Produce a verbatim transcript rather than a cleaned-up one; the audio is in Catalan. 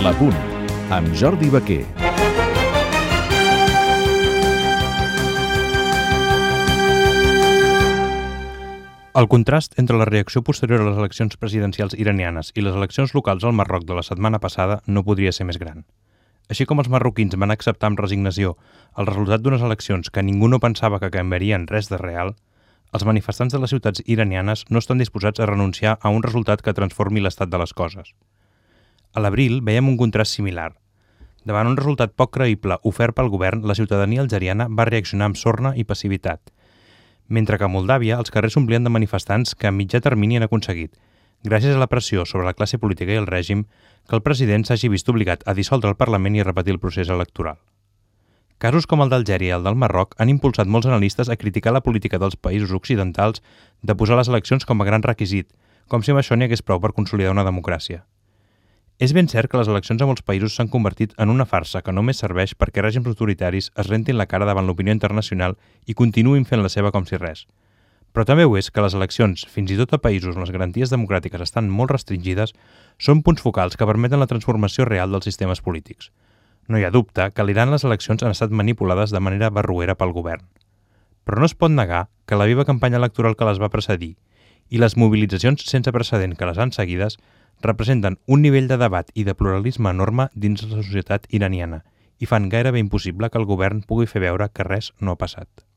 La Punt, amb Jordi Baquer. El contrast entre la reacció posterior a les eleccions presidencials iranianes i les eleccions locals al Marroc de la setmana passada no podria ser més gran. Així com els marroquins van acceptar amb resignació el resultat d'unes eleccions que ningú no pensava que canviarien res de real, els manifestants de les ciutats iranianes no estan disposats a renunciar a un resultat que transformi l'estat de les coses. A l'abril veiem un contrast similar. Davant un resultat poc creïble ofert pel govern, la ciutadania algeriana va reaccionar amb sorna i passivitat, mentre que a Moldàvia els carrers s'omplien de manifestants que a mitjà termini han aconseguit, gràcies a la pressió sobre la classe política i el règim, que el president s'hagi vist obligat a dissoldre el Parlament i a repetir el procés electoral. Casos com el d'Algèria i el del Marroc han impulsat molts analistes a criticar la política dels països occidentals de posar les eleccions com a gran requisit, com si amb això n'hi hagués prou per consolidar una democràcia. És ben cert que les eleccions a molts països s'han convertit en una farsa que només serveix perquè règims autoritaris es rentin la cara davant l'opinió internacional i continuïn fent la seva com si res. Però també ho és que les eleccions, fins i tot a països on les garanties democràtiques estan molt restringides, són punts focals que permeten la transformació real dels sistemes polítics. No hi ha dubte que a l'Iran les eleccions han estat manipulades de manera barroera pel govern. Però no es pot negar que la viva campanya electoral que les va precedir i les mobilitzacions sense precedent que les han seguides representen un nivell de debat i de pluralisme enorme dins la societat iraniana i fan gairebé impossible que el govern pugui fer veure que res no ha passat.